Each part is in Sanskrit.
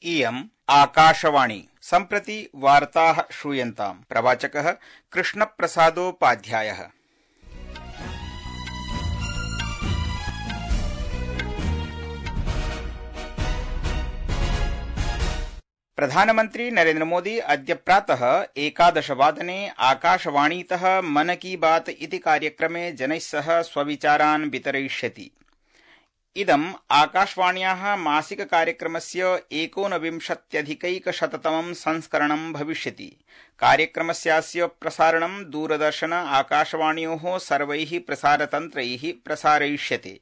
इयम् आकाशवाणी। सम्प्रति वार्ताः श्रूयन्ताम्। प्रवाचकः कृष्णप्रसादोपाध्यायः। प्रधानमन्त्री नरेन्द्र मोदी अद्य प्रातः 11 वादने आकाशवाणीतः मन की बात इति कार्यक्रमे जनैः सह स्वविचारान् वितरयिष्यति। इदम् आकाशवाण्याः मासिक कार्यक्रमस्य 19अधिकैकशततमं संस्करणं भविष्यति। कार्यक्रमस्यास्य प्रसारणं दूरदर्शन आकाशवाण्योः सर्वैः प्रसारतन्त्रैः प्रसारयिष्यते।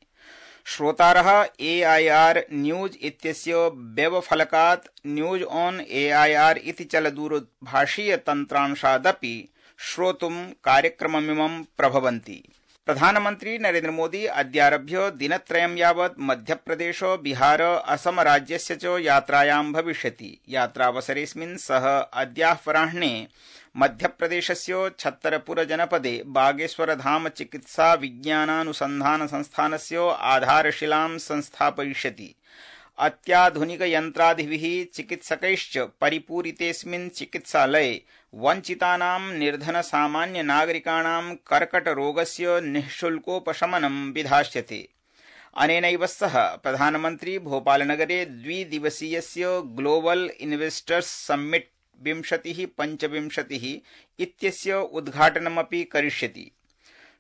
श्रोतारः AIR न्यूज इत्यस्य वेबफलकात् न्यूज ऑन AIR इति चलदूरभाषीयतन्त्रांशादपि श्रोतुं कार्यक्रममिमं प्रभवन्ति। प्रधानमन्त्री नरेन्द्र मोदी अद्यारभ्य दिनत्रयं यावत् मध्यप्रदेश, बिहार, असम राज्यस्य च यात्रायां भविष्यति। यात्रावसरेऽस्मिन् सः अद्याह्वराह्णे मध्यप्रदेशस्य छत्तरपुर जनपदे बागेश्वरधाम चिकित्सा विज्ञानानुसन्धान संस्थानस्य आधारशिलां संस्थापयिष्यति। अत्याधुनिकयन्त्रादिभिः चिकित्सकैश्च परिपूरितेऽस्मिन् चिकित्सालये वञ्चितानां निर्धनसामान्यनागरिकाणां कर्कटरोगस्य निःशुल्कोपशमनं विधास्यते। अनेनैव सह प्रधानमन्त्री भोपालनगरे द्विदिवसीयस्य ग्लोबल इन्वेस्टर्स समिट 2025 इत्यस्य उद्घाटनमपि करिष्यति।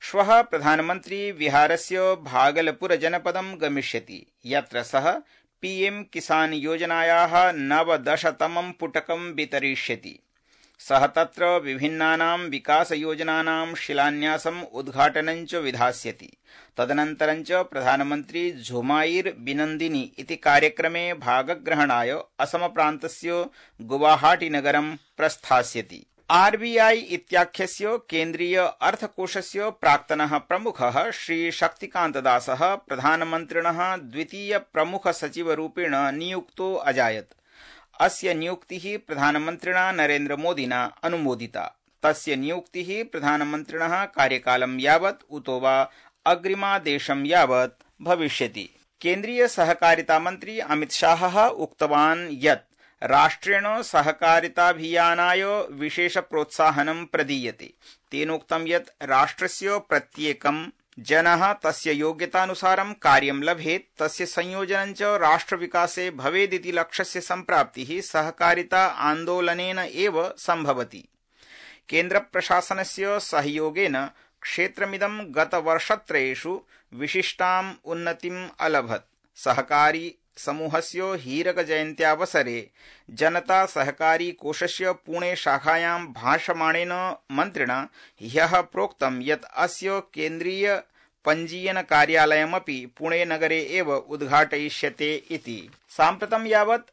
श्वः प्रधानमन्त्री बिहारस्य भागलपुर जनपदं गमिष्यति, यत्र सः PM किसान योजनायाः 19तमं पुटकं वितरिष्यति। सः तत्र विभिन्नानां विकासयोजनानां शिलान्यासम् उद्घाटनं च विधास्यति। तदनन्तरं च प्रधानमन्त्री झुमायिर बिनन्दिनी इति कार्यक्रमे भागग्रहणाय असमप्रान्तस्य गुवाहाटीनगरं प्रस्थास्यति। RBI इत्याख्यस्य केन्द्रीय अर्थकोषस्य प्राक्तनः प्रमुखः श्री शक्तिकान्तदासः प्रधानमन्त्रिणः द्वितीय प्रमुख सचिवरूपेण नियुक्तो अजायत्। अस्य नियुक्तिः प्रधानमन्त्रिणा नरेन्द्र मोदिना अनुमोदिता। तस्य नियुक्तिः प्रधानमन्त्रिणः कार्यकालं यावत् उतो वा अग्रिमादेशं यावत् भविष्यति। केन्द्रीय सहकारिता मन्त्री अमित शाहः उक्तवान् यत् राष्ट्रेण सहकारिताभियानाय विशेष प्रोत्साहनं प्रदीयते। तेनोक्तं यत् राष्ट्रस्य प्रत्येकं जनः तस्य योग्यतानुसारं कार्यं लभेत्, तस्य संयोजनं च राष्ट्रविकासे भवेदिति लक्ष्यस्य सम्प्राप्तिः सहकारिता आन्दोलनेन एव सम्भवति। केन्द्रप्रशासनस्य सहयोगेन क्षेत्रमिदं गतवर्षत्रयेषु विशिष्टाम् उन्नतिम् अलभत्। सहकारी समूहस्य हीरक जयन्त्यावसरे जनता सहकारी कोषस्य पुणे शाखायां भाषमाणेन मन्त्रिणा ह्यः प्रोक्तं यत् अस्य केन्द्रीय पञ्जीयन कार्यालयमपि पुणे नगरे एव उद्घाटयिष्यते इति। साम्प्रतं यावत्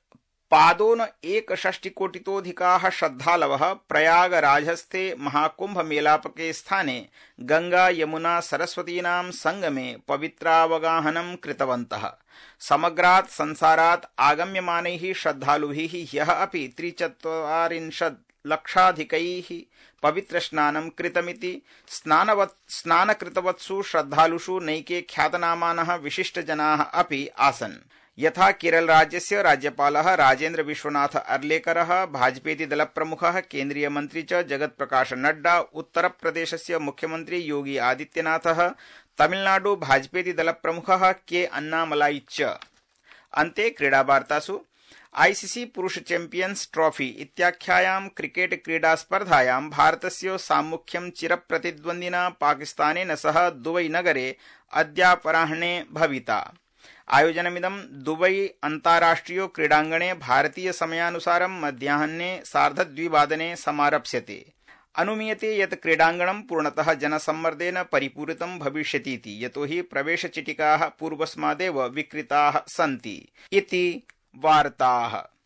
पादोन 61 श्रद्धालवः प्रयागराजस्थे महाकुम्भमेलापके स्थाने गंगा यमुना सरस्वतीनां संगमे पवित्रावगाहनं कृतवन्तः। समग्रात् संसारात् आगम्यमानैः श्रद्धालुभिः ह्यः अपि 43 लक्षाधिकैः पवित्रस्नानं कृतमिति। स्नानकृतवत्सु श्रद्धालुषु नैके ख्यातनामानः विशिष्टजनाः अपि आसन्। यथा केरल राज्यस्य राज्यपालः राजेन्द्र विश्वनाथ अर्लेकरः, भाजपेति दलप्रमुखः केन्द्रीयमन्त्री च जगत्प्रकाश नड्डा, उत्तरप्रदेशस्य मुख्यमन्त्री योगी आदित्यनाथः, तमिलनाडु भाजपेति दलप्रमुखः के अन्नामलाई च। अन्ते क्रीडावार्तासु ICC पुरुष चैम्पियन्स ट्रॉफी इत्याख्यायां क्रिकेट क्रीडास्पर्धायां भारतस्य साम्मुख्यं चिरप्रतिद्वन्द्विना पाकिस्तानेन सह दुबई नगरे अद्यापराह्ने भविता। आयोजनमिदं दुबई अन्ताराष्ट्रिय क्रीडाङ्गणे भारतीय समयानुसारं मध्याह्ने 2:30 समारप्स्यते। अनुमीयते यत् क्रीडाङ्गणं पूर्णतः जनसम्मर्देन परिपूरितं भविष्यतीति, यतोहि प्रवेशचिटिकाः पूर्वस्मादेव विक्रीताः सन्ति इति वार्ताः।